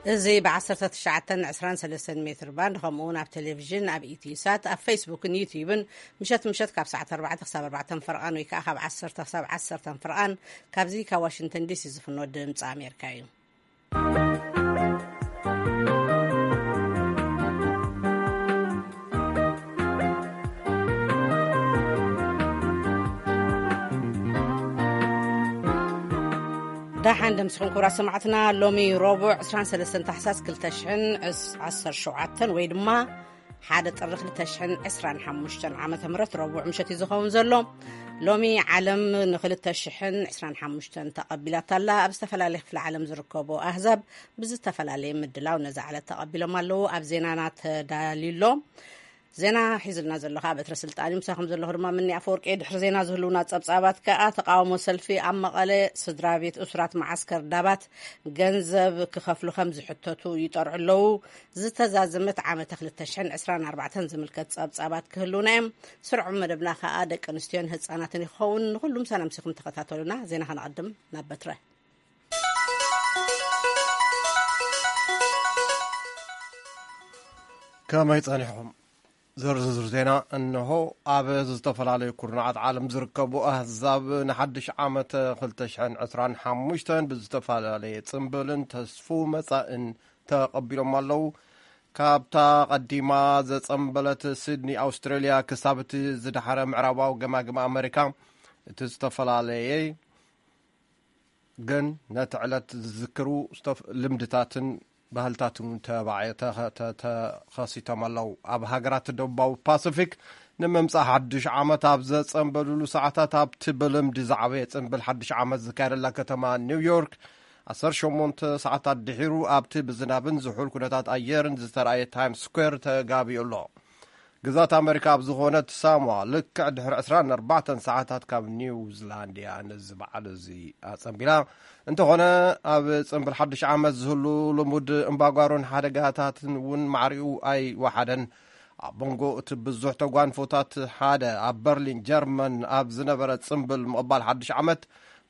እዚ ብ19 23 ሜትር ባንድ፣ ከምኡ እውን ኣብ ቴሌቪዥን፣ ኣብ ኢትዮ ሳት፣ ኣብ ፌስቡክን ዩቲዩብን ምሸት ምሸት ካብ ሰዓት ኣርባዕተ ክሳብ ኣርባዕተ ፈርቓን ወይ ከዓ ካብ ዓሰርተ ክሳብ ዓሰርተ ፈርቓን፣ ካብዚ ካብ ዋሽንግተን ዲሲ ዝፍኖ ድምፂ ኣሜሪካ እዩ። ደሓን ደምስኹም ክቡራት ሰማዕትና። ሎሚ ረቡዕ ዕስራን ሰለስተን ታሕሳስ ክልተ ሽሕን ዓሰርተ ሸውዓተን ወይ ድማ ሓደ ጥሪ ክልተ ሽሕን ዕስራን ሓሙሽተን ዓመተ ምህረት ረቡዕ ምሸት እዩ ዝኸውን ዘሎ። ሎሚ ዓለም ንክልተ ሽሕን ዕስራን ሓሙሽተን ተቐቢላታ ኣላ። ኣብ ዝተፈላለየ ክፍለ ዓለም ዝርከቡ ኣህዛብ ብዝተፈላለየ ምድላው ነዛ ዕለት ተቐቢሎም ኣለዉ። ኣብ ዜናና ተዳልዩ ኣሎ። ዜና ሒዙልና ዘሎ ከዓ በትረ ስልጣን እዩ። ምሳኹም ዘለኹ ድማ ምኒ ኣፈወርቂ። ድሕሪ ዜና ዝህልውና ጸብጻባት ከዓ፣ ተቃውሞ ሰልፊ ኣብ መቐለ፣ ስድራ ቤት እሱራት መዓስከር ዳባት ገንዘብ ክኸፍሉ ከም ዝሕተቱ ይጠርዑ ኣለዉ። ዝተዛዘመት ዓመተ ክልተ ሽሕን ዕስራን ኣርባዕተን ዝምልከት ጸብጻባት ክህልውና እዮም። ስርዑ መደብና ከዓ ደቂ ኣንስትዮን ህፃናትን ይኸውን። ንኩሉም ሰላም ሲኹም ተኸታተሉና። ዜና ከነቐድም ናብ በትረ። ከመይ ጸኒሕኩም? ዝርዝር ዜና እንሆ። ኣብ ዝተፈላለዩ ኩርናዓት ዓለም ዝርከቡ ኣህዛብ ንሓድሽ ዓመት ክልተ ሽሕን ዕስራን ሓሙሽተን ብዝተፈላለየ ጽምብልን ተስፉ መጻእን ተቐቢሎም ኣለዉ። ካብታ ቀዲማ ዘጸምበለት ሲድኒ ኣውስትራልያ ክሳብ እቲ ዝደሓረ ምዕራባዊ ገማግም ኣመሪካ፣ እቲ ዝተፈላለየ ግን ነቲ ዕለት ዝዝክሩ ዝተፍ-፣ ልምድታትን ባህልታትን እውን ተባዕ-፣ ተኸ-፣ ተ-፣ ተኸሲቶም ኣለዉ። ኣብ ሃገራት ደቡባዊ ፓሲፊክ ንምምጻእ ሓድሽ ዓመት ኣብ ዘጸንበሉሉ ሰዓታት፣ ኣብቲ ብልምዲ ዝዓበየ ጽንብል ሓድሽ ዓመት ዝካየደላ ከተማ ኒውዮርክ፣ ዓሰርተ ሸሞንተ ሰዓታት ድሒሩ፣ ኣብቲ ብዝናብን ዝሑል ኩነታት ኣየርን ዝተራእየ ታይምስ ስኩዌር ተጋቢኡ ኣሎ። ግዛት ኣመሪካ ኣብ ዝኾነት ሳሞኣ፣ ልክዕ ድሕሪ ዕስራን ኣርባዕተን ሰዓታት ካብ ኒውዚላንድያ ነዚ በዓል እዚ ኣጸንቢላ። እንተኾነ፣ ኣብ ጽንብል ሓድሽ ዓመት ዝህሉ ልሙድ እምባጓሮን ሓደጋታትን እውን ማዕሪኡ ኣይወሓደን። ኣብ መንጎ እቲ ብዙሕ ተጓንፎታት ሓደ፣ ኣብ በርሊን ጀርመን ኣብ ዝነበረ ጽንብል ምቕባል ሓድሽ ዓመት፣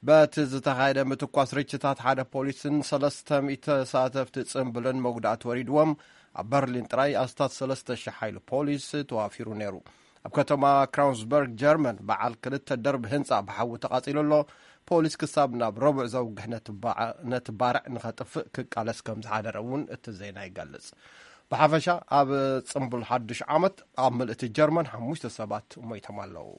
በቲ ዝተኻየደ ምትኳስ ርችታት ሓደ ፖሊስን ሰለስተ ሚእቲ ተሳተፍቲ ጽንብልን መጉዳእቲ ወሪድዎም። ኣብ በርሊን ጥራይ ኣስታት ሰለስተ ሽሕ ሓይሊ ፖሊስ ተዋፊሩ ነይሩ። ኣብ ከተማ ክራውንስበርግ ጀርመን፣ በዓል ክልተ ደርቢ ህንጻ ብሓዊ ተቓጺሉ ኣሎ። ፖሊስ ክሳብ ናብ ረቡዕ ዘውግሕ ነቲ ባዕ-፣ ነቲ ባርዕ ንኸጥፍእ ክቃለስ ከም ዝሓደረ እውን እቲ ዜና ይገልጽ። ብሓፈሻ፣ ኣብ ጽምብል ሓድሽ ዓመት ኣብ ምልእቲ ጀርመን ሓሙሽተ ሰባት ሞይቶም ኣለዉ።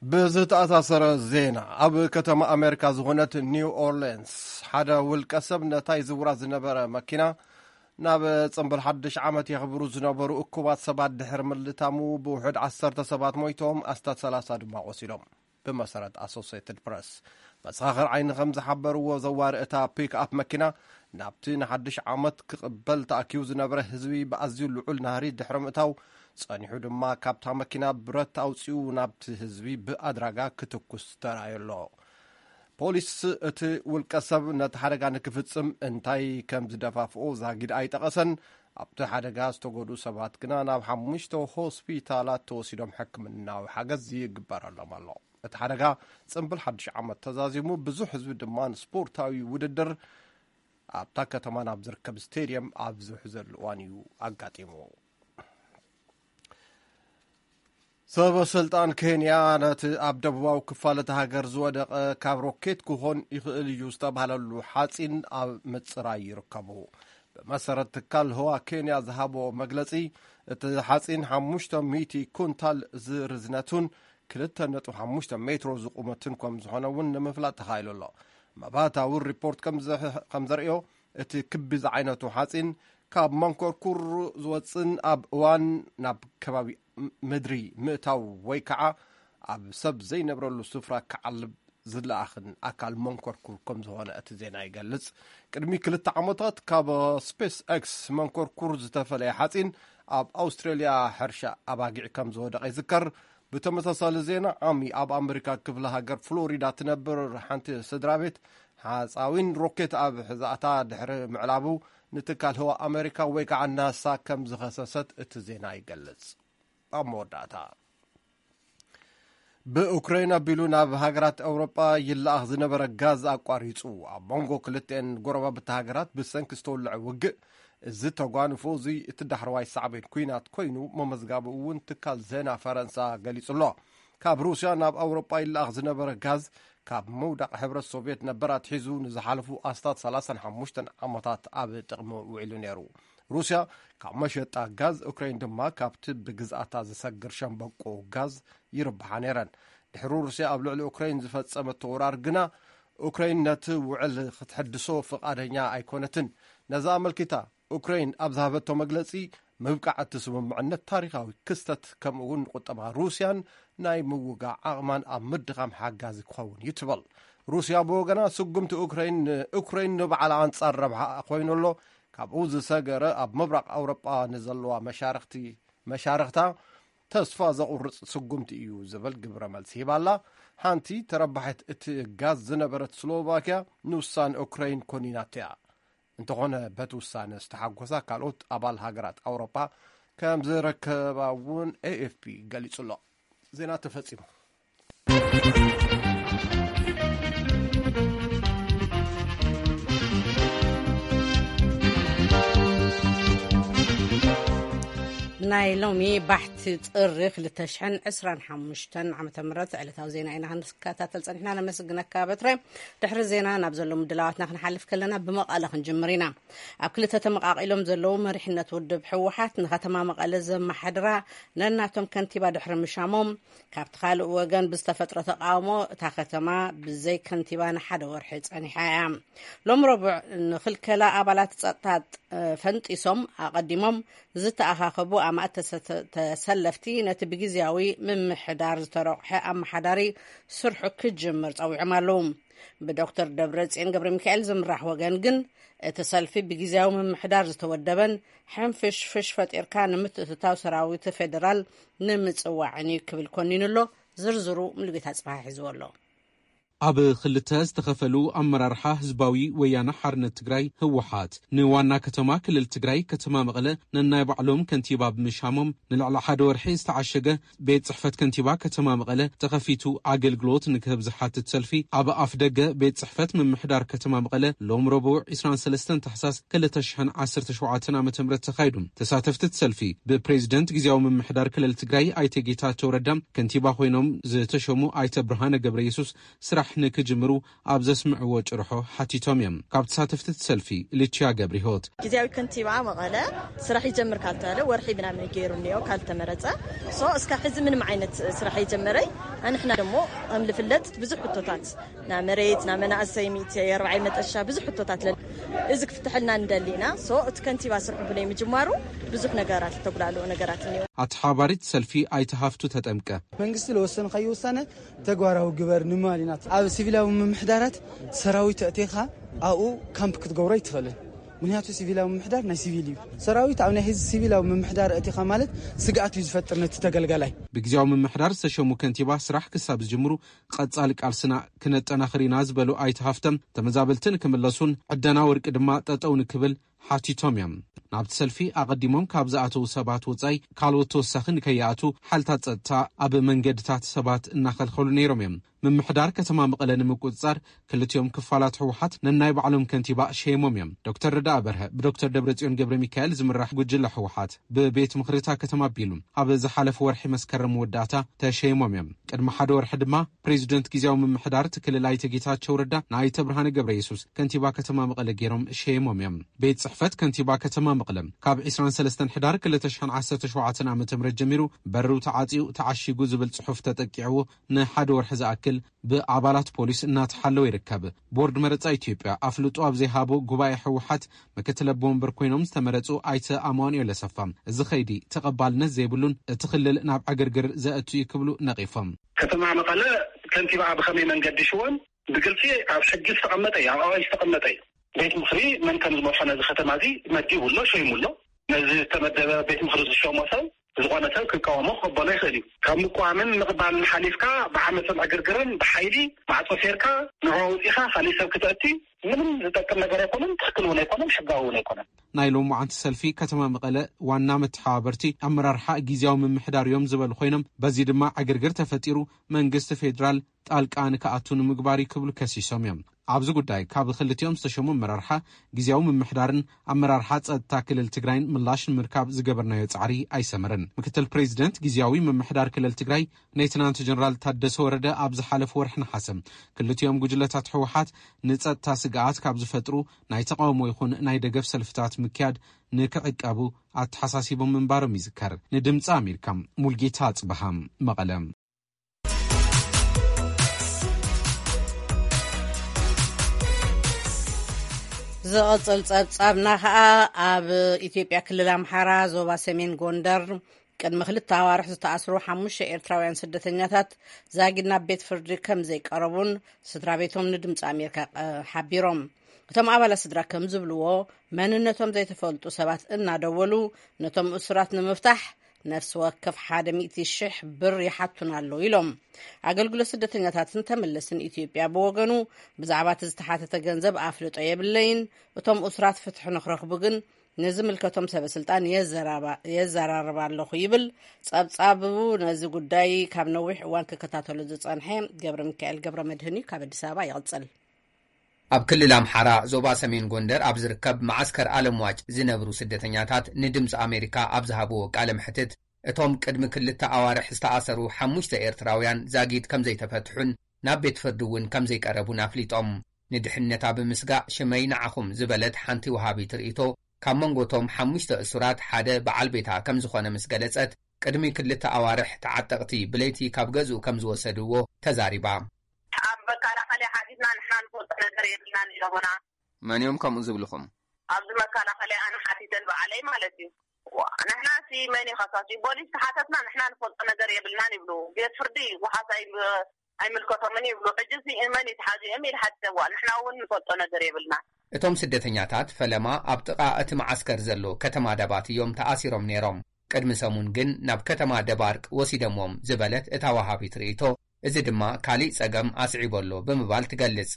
ብዝተኣሳሰረ ዜና፣ ኣብ ከተማ ኣሜሪካ ዝኾነት ኒው ኦርሌንስ፣ ሓደ ውልቀ ሰብ ነታይ ዝውራ ዝነበረ መኪና ናብ ጽምብል ሓድሽ ዓመት የኽብሩ ዝነበሩ እኩባት ሰባት ድሕሪ ምልታሙ፣ ብውሑድ ዓሰርተ ሰባት ሞይቶም፣ ኣስታት ሰላሳ ድማ ቆሲሎም። ብመሰረት ኣሶሴትድ ፕረስ፣ መሰኻኽር ዓይኒ ከም ዝሓበርዎ፣ ዘዋሪ እታ ፒክ ኣፕ መኪና ናብቲ ንሓድሽ ዓመት ክቕበል ተኣኪቡ ዝነበረ ህዝቢ ብኣዝዩ ልዑል ናህሪ ድሕሪ ምእታው፣ ጸኒሑ ድማ ካብታ መኪና ብረት ኣውጺኡ ናብቲ ህዝቢ ብኣድራጋ ክትኩስ ተራእዩ ኣሎ። ፖሊስ፣ እቲ ውልቀ ሰብ ነቲ ሓደጋ ንክፍጽም እንታይ ከም ዝደፋፍኦ ዛጊድ ኣይጠቐሰን። ኣብቲ ሓደጋ ዝተጎድኡ ሰባት ግና ናብ ሓሙሽተ ሆስፒታላት ተወሲዶም ሕክምናዊ ሓገዝ ይግበረሎም ኣሎ። እቲ ሓደጋ ጽምብል ሓድሽ ዓመት ተዛዚሙ፣ ብዙሕ ህዝቢ ድማ ንስፖርታዊ ውድድር ኣብታ ከተማ ናብ ዝርከብ ስቴድየም ኣብ ዝውሕዘሉ እዋን እዩ ኣጋጢሙ። ሰበ ስልጣን ኬንያ፣ ነቲ ኣብ ደቡባዊ ክፋል እታ ሃገር ዝወደቐ ካብ ሮኬት ክኾን ይኽእል እዩ ዝተባህለሉ ሓፂን ኣብ ምፅራይ ይርከቡ። ብመሰረት ትካል ህዋ ኬንያ ዝሃቦ መግለፂ፣ እቲ ሓፂን ሓሙሽተ ሚእቲ ኩንታል ዝርዝነቱን ክልተ ነጥቢ ሓሙሽተ ሜትሮ ዝቑመትን ከም ዝኾነ እውን ንምፍላጥ ተኻኢሉ ኣሎ። መባእታዊ ሪፖርት ከም ዘ-፣ ከም ዘርእዮ፣ እቲ ክቢ ዝዓይነቱ ሓፂን ካብ መንኮርኩር ዝወፅን ኣብ እዋን ናብ ከባቢ ም-፣ ምድሪ ምእታው ወይ ከዓ ኣብ ሰብ ዘይነብረሉ ስፍራ ክዓልብ ዝለኣኽን ኣካል መንኮርኩር ከም ዝኾነ እቲ ዜና ይገልጽ። ቅድሚ ክልተ ዓመታት ካብ ስፔስ ኤክስ መንኮርኩር ዝተፈለየ ሓፂን ኣብ ኣውስትራልያ ሕርሻ ኣባጊዕ ከም ዝወደቐ ይዝከር። ብተመሳሳሊ ዜና፣ ዓሚ ኣብ ኣመሪካ ክፍለ ሃገር ፍሎሪዳ ትነብር ሓንቲ ስድራ ቤት፣ ሓፃዊን ሮኬት ኣብ ሕዛእታ ድሕሪ ምዕላቡ፣ ንትካል ህዋ ኣመሪካ ወይ ከዓ ናሳ ከም ዝኸሰሰት እቲ ዜና ይገልጽ። ኣብ መወዳእታ፣ ብኡክራይን ኣቢሉ ናብ ሃገራት ኣውሮጳ ይለኣኽ ዝነበረ ጋዝ ኣቋሪጹ። ኣብ መንጎ ክልተኤን ጎረባብቲ ሃገራት ብሰንኪ ዝተወልዐ ውግእ፣ እዚ ተጓንፎ እዚ እቲ ዳሕረዋይ ሳዕቤን ኲናት ኮይኑ መመዝጋቡ እውን ትካል ዜና ፈረንሳ ገሊጹ ኣሎ። ካብ ሩስያ ናብ ኣውሮጳ ይለኣኽ ዝነበረ ጋዝ፣ ካብ ምውዳቕ ሕብረት ሶቭየት ነበር ኣትሒዙ ንዝሓለፉ ኣስታት ሰላሳን ሓሙሽተን ዓመታት ኣብ ጥቕሚ ውዒሉ ነይሩ። ሩስያ ካብ መሸጣ ጋዝ፣ ኡክራይን ድማ ካብቲ ብግዝኣታ ዝሰግር ሸምበቆ ጋዝ ይርብሓ ነይረን። ድሕሪ ሩስያ ኣብ ልዕሊ ኡክራይን ዝፈጸመቶ ወራር ግና፣ ኡክራይን ነቲ ውዕል ክትሕድሶ ፍቓደኛ ኣይኮነትን። ነዚ ኣመልኪታ ኡክራይን ኣብ ዝሃበቶ መግለጺ፣ ምብቃዕ እቲ ስምምዕነት ታሪኻዊ ክስተት፣ ከምኡ እውን ንቁጠባ ሩስያን ናይ ምውጋእ ዓቕማን ኣብ ምድኻም ሓጋዚ ክኸውን እዩ ትብል። ሩስያ ብወገና፣ ስጉምቲ ኡክራይን ንኡክራይን ንባዕላ ኣንጻር ረብሓ ኮይኑ ኣሎ፣ ካብኡ ዝሰገረ ኣብ ምብራቕ ኣውሮጳ ንዘለዋ መሻርኽቲ መሻርኽታ ተስፋ ዘቑርጽ ስጉምቲ እዩ ዝብል ግብረ መልሲ ሂባ ኣላ። ሓንቲ ተረባሒት እቲ ጋዝ ዝነበረት ስሎቫኪያ፣ ንውሳነ ኡክራይን ኮኒናቶ እያ። እንተኾነ፣ በቲ ውሳነ ዝተሓጎሳ ካልኦት ኣባል ሃገራት ኣውሮጳ ከም ዝረከባ እውን ኤኤፍፒ ገሊጹ ኣሎ። ዜና ተፈጺሙ። ናይ ሎሚ ባሕቲ ጥሪ ክልተ ሽሕን ዕስራን ሓሙሽተን ዓመተ ምህረት ዕለታዊ ዜና ኢና ክንከታተል ጸኒሕና። ነመስግነካ በትረ። ድሕሪ ዜና ናብ ዘሎ ምድላዋትና ክንሓልፍ ከለና፣ ብመቐለ ክንጅምር ኢና። ኣብ ክልተ ተመቓቒሎም ዘለዉ መሪሕነት ውድብ ህወሓት ንከተማ መቐለ ዘመሓድራ ነናቶም ከንቲባ ድሕሪ ምሻሞም፣ ካብቲ ካልእ ወገን ብዝተፈጥረ ተቓውሞ እታ ከተማ ብዘይ ከንቲባ ንሓደ ወርሒ ጸኒሓ እያ። ሎም ረቡዕ ንኽልከላ ኣባላት ጸጥታ ፈንጢሶም ኣቐዲሞም ዝተኣኻኸቡ ኣማእት ተሰ-፣ ተሰለፍቲ ነቲ ብግዝያዊ ምምሕዳር ዝተረቑሐ ኣመሓዳሪ ስርሑ ክጅምር ጸዊዖም ኣለዉ። ብዶክተር ደብረጽዮን ገብረ ሚካኤል ዝምራሕ ወገን ግን፣ እቲ ሰልፊ ብግዝያዊ ምምሕዳር ዝተወደበን ሕንፍሽፍሽ ፈጢርካ ንምትእትታው ሰራዊት ፌደራል ንምጽዋዕን እዩ ክብል ኮኒኑ ኣሎ። ዝርዝሩ ሙሉጌታ ጽባሕ ሒዝዎ ኣሎ። ኣብ ክልተ ዝተኸፈሉ ኣመራርሓ ህዝባዊ ወያነ ሓርነት ትግራይ፣ ህወሓት፣ ንዋና ከተማ ክልል ትግራይ ከተማ መቐለ ነናይ ባዕሎም ከንቲባ ብምሻሞም፣ ንልዕሊ ሓደ ወርሒ ዝተዓሸገ ቤት ጽሕፈት ከንቲባ ከተማ መቐለ ተኸፊቱ ኣገልግሎት ንክህብ ዝሓትት ሰልፊ ኣብ ኣፍ ደገ ቤት ጽሕፈት ምምሕዳር ከተማ መቐለ ሎም ረቡዕ ዕስራን ሰለስተን ታሕሳስ ክልተ ሽሕን ዓሰርተ ሸውዓተን ዓመተ ምህረት ተኻይዱ። ተሳተፍቲ እቲ ሰልፊ ብፕሬዚደንት ግዝያዊ ምምሕዳር ክልል ትግራይ ኣይተ ጌታቸው ረዳ፣ ከንቲባ ኮይኖም ዝተሸሙ ኣይተ ብርሃነ ገብረ የሱስ ስራሕ ንክጅምሩ ኣብ ዘስምዕዎ ጭርሖ ሓቲቶም እዮም። ካብ ተሳተፍቲ እቲ ሰልፊ ልችያ ገብረ ህይወት። ግዝያዊ ከንቲባ መቐለ ስራሕ ይጀምር ካልተባለ ወርሒ ምናምን ገይሩ እኒኦ ካልተመረፀ። ሶ እስከ ሕዚ ምንም ዓይነት ስራሕ የጀመረይ። ኣንሕና ደሞ ከም ልፍለጥ ብዙሕ ሕቶታት፣ ና መሬት፣ ና መናእሰይ፣ ሚእቲ ኣርባዓይ መጠሻ ብዙሕ ሕቶታት ለን። እዚ ክፍትሐልና እንደሊና። ሶ እቲ ከንቲባ ስርሑ ብለይ ምጅማሩ ብዙሕ ነገራት፣ ዝተጉላልኡ ነገራት እኒኦ። ኣተሓባሪት ሰልፊ ኣይተ ሃፍቱ ተጠምቀ። መንግስቲ ለወሰንካዮ ውሳነ ተግባራዊ ግበር ንምባል ኢና። ኣብ ሲቪላዊ ምምሕዳራት ሰራዊት ኣእቲኻ ኣብኡ ካምፕ ክትገብሮ ኣይትኽእልን። ምክንያቱ ሲቪላዊ ምምሕዳር ናይ ሲቪል እዩ። ሰራዊት ኣብ ናይ ህዝቢ ሲቪላዊ ምምሕዳር ኣእቲኻ ማለት ስግኣት እዩ ዝፈጥር ነቲ ተገልጋላይ። ብግዜያዊ ምምሕዳር ዝተሸሙ ከንቲባ ስራሕ ክሳብ ዝጅምሩ ቀጻሊ ቃልስና ክነጠናኽር ኢና ዝበሉ ኣይተ ሃፍቶም፣ ተመዛበልቲ ንክምለሱን ዕደና ወርቂ ድማ ጠጠው ንክብል ሓቲቶም እዮም። ናብቲ ሰልፊ ኣቐዲሞም ካብ ዝኣተዉ ሰባት ወጻኢ ካልኦት ተወሳኺ ንከይኣትዉ ሓይልታት ጸጥታ ኣብ መንገድታት ሰባት እናኸልኸሉ ነይሮም እዮም። ምምሕዳር ከተማ መቐለ ንምቁጽጻር ክልቲኦም ክፋላት ህወሓት ነናይ ባዕሎም ከንቲባ ሸይሞም እዮም። ዶክተር ረዳኢ በርሀ ብዶክተር ደብረጽዮን ገብረ ሚካኤል ዝምራሕ ጉጅለ ህወሓት ብቤት ምኽሪ እታ ከተማ ኣቢሉ ኣብ ዝሓለፈ ወርሒ መስከረም መወዳእታ ተሸይሞም እዮም። ቅድሚ ሓደ ወርሒ ድማ ፕሬዚደንት ግዜያዊ ምምሕዳር እቲ ክልል ኣይተ ጌታቸው ረዳ ንኣይተ ብርሃነ ገብረ የሱስ ከንቲባ ከተማ መቐለ ገይሮም ሸይሞም እዮም። ቤት ጽሕፈት ከንቲባ ከተማ መቐለ ካብ ዕስራን ሰለስተን ሕዳር ክልተ ሽሕን ዓሰርተ ሸውዓተን ዓመተ ምህረት ጀሚሩ በሩ ተዓጽዩ ተዓሺጉ ዝብል ጽሑፍ ተጠቂዕዎ ንሓደ ወርሒ ዝኣክል ብኣባላት ፖሊስ እናተሓለወ ይርከብ። ቦርድ መረጻ ኢትዮጵያ ኣፍልጦ ኣብ ዘይሃቦ ጉባኤ ህወሓት ምክትል ኣቦ ወንበር ኮይኖም ዝተመረጹ ኣይተ ኣማኑኤል ኣሰፋ፣ እዚ ኸይዲ ተቐባልነት ዘይብሉን እቲ ክልል ናብ ዕግርግር ዘእቱ እዩ ክብሉ ነቒፎም። ከተማ መቐለ ከንቲባኣ ብኸመይ መንገዲ ሽወን ብግልጺ ኣብ ሕጊ ዝተቐመጠ እዩ፣ ኣብ ኣዋጅ ዝተቐመጠ እዩ። ቤት ምኽሪ መን ከም ዝመርሖ ነዚ ከተማ እዚ መዲቡ ኣሎ፣ ሸይሙ ኣሎ። ነዚ ዝተመደበ ቤት ምኽሪ ዝሸሞ ሰብ ዝኾነ ሰብ ክቃወሞ ክቕበሎ ይኽእል እዩ። ካብ ምቋምን ምቕባልን ሓሊፍካ ብዓመፅን ዕግርግርን ብሓይሊ ማዕፆ ሴርካ ንዕኡ ኣውፂኻ ካሊእ ሰብ ክተእቲ ምንም ዝጠቅም ነገር ኣይኮነን፣ ትክክል እውን ኣይኮነን፣ ሕጋዊ እውን ኣይኮነን። ናይ ሎማዓንቲ ሰልፊ ከተማ መቐለ ዋና መተሓባበርቲ ኣመራርሓ ግዜያዊ ምምሕዳር እዮም ዝበሉ ኮይኖም፣ በዚ ድማ ዕግርግር ተፈጢሩ መንግስቲ ፌዴራል ጣልቃ ንክኣቱ ንምግባር እዩ ክብሉ ከሲሶም እዮም። ኣብዚ ጉዳይ ካብ ክልቲኦም ዝተሸሙ ኣመራርሓ ግዜያዊ ምምሕዳርን ኣመራርሓ ጸጥታ ክልል ትግራይን ምላሽ ንምርካብ ዝገበርናዮ ጻዕሪ ኣይሰመረን። ምክትል ፕሬዚደንት ግዜያዊ ምምሕዳር ክልል ትግራይ ሌተናንት ጀነራል ታደሰ ወረደ ኣብ ዝሓለፈ ወርሒ ነሓሰ ክልቲኦም ጉጅለታት ህወሓት ንጸጥታ ስግኣት ካብ ዝፈጥሩ ናይ ተቃውሞ ይኹን ናይ ደገፍ ሰልፍታት ምክያድ ንክዕቀቡ ኣተሓሳሲቦም ምንባሮም ይዝከር። ንድምፂ ኣሜሪካ ሙልጌታ ኣጽበሃ፣ መቐለ። ዝቐጽል ጸብጻብና ኸኣ ኣብ ኢትዮጵያ ክልል ኣምሓራ ዞባ ሰሜን ጎንደር ቅድሚ ክልተ ኣዋርሕ ዝተኣስሩ ሓሙሽተ ኤርትራውያን ስደተኛታት ዛጊድ ናብ ቤት ፍርዲ ከም ዘይቀረቡን ስድራ ቤቶም ንድምፂ ኣሜሪካ፣ እ፣ ሓቢሮም። እቶም ኣባላት ስድራ ከም ዝብልዎ መንነቶም ዘይተፈልጡ ሰባት እናደወሉ ነቶም እሱራት ንምፍታሕ ነፍሲ ወከፍ ሓደ ሚእቲ ሽሕ ብር ይሓቱና ኣለዉ ኢሎም። ኣገልግሎት ስደተኛታትን ተመለስትን ኢትዮጵያ ብወገኑ ብዛዕባ እቲ ዝተሓተተ ገንዘብ ኣፍልጦ የብለይን። እቶም እሱራት ፍትሒ ንክረኽቡ ግን ንዝምልከቶም ሰበ ስልጣን የዘራባ-፣ የዘራርባ ኣለኹ ይብል። ጸብጻቡ ነዚ ጉዳይ ካብ ነዊሕ እዋን ክከታተሎ ዝጸንሐ ገብረ ሚካኤል ገብረ መድህን እዩ። ካብ ኣዲስ ኣበባ ይቕጽል። ኣብ ክልል ኣምሓራ ዞባ ሰሜን ጎንደር ኣብ ዝርከብ መዓስከር ኣለምዋጭ ዝነብሩ ስደተኛታት ንድምፂ ኣሜሪካ ኣብ ዝሃብዎ ቃለ መሕትት፣ እቶም ቅድሚ ክልተ ኣዋርሕ ዝተኣሰሩ ሓሙሽተ ኤርትራውያን ዛጊድ ከም ዘይተፈትሑን ናብ ቤት ፍርዲ እውን ከም ዘይቀረቡን ኣፍሊጦም። ንድሕነታ ብምስጋእ ሽመይ ንዓኹም ዝበለት ሓንቲ ወሃቢት ርእይቶ፣ ካብ መንጎቶም ሓሙሽተ እሱራት ሓደ በዓል ቤታ ከም ዝኾነ ምስ ገለጸት፣ ቅድሚ ክልተ ኣዋርሕ ተዓጠቕቲ ብለይቲ ካብ ገዝኡ ከም ዝወሰድዎ ተዛሪባ። ኣብ መከላኸሊ ሓቲትና ንሕና ንፈልጦ ነገር የብልናን ኢሎምና። መን እዮም ከምኡ ዝብልኹም? ኣብዚ መከላኸሊ ኣነ ሓቲተን በዓለይ ማለት እዩ። ዋ፣ ንሕና ሲ መን ይኸሳሲ? ፖሊስ ተሓተትና ንሕና ንፈልጦ ነገር የብልናን ይብሉ። ቤት ፍርዲ ውሓስ ኣይ-፣ ኣይምልከቶምን ይብሉ። ሕጂ ሲ መን ይትሓዙ እዮም ኢል ሓቲተዋ። ንሕና እውን ንፈልጦ ነገር የብልና። እቶም ስደተኛታት ፈለማ ኣብ ጥቓ እቲ መዓስከር ዘሎ ከተማ ደባት እዮም ተኣሲሮም ነይሮም። ቅድሚ ሰሙን ግን ናብ ከተማ ደባርቅ ወሲደምዎም ዝበለት እታ ወሃቢት ርእይቶ፣ እዚ ድማ ካሊእ ጸገም ኣስዒቡ ኣሎ ብምባል ትገልጽ።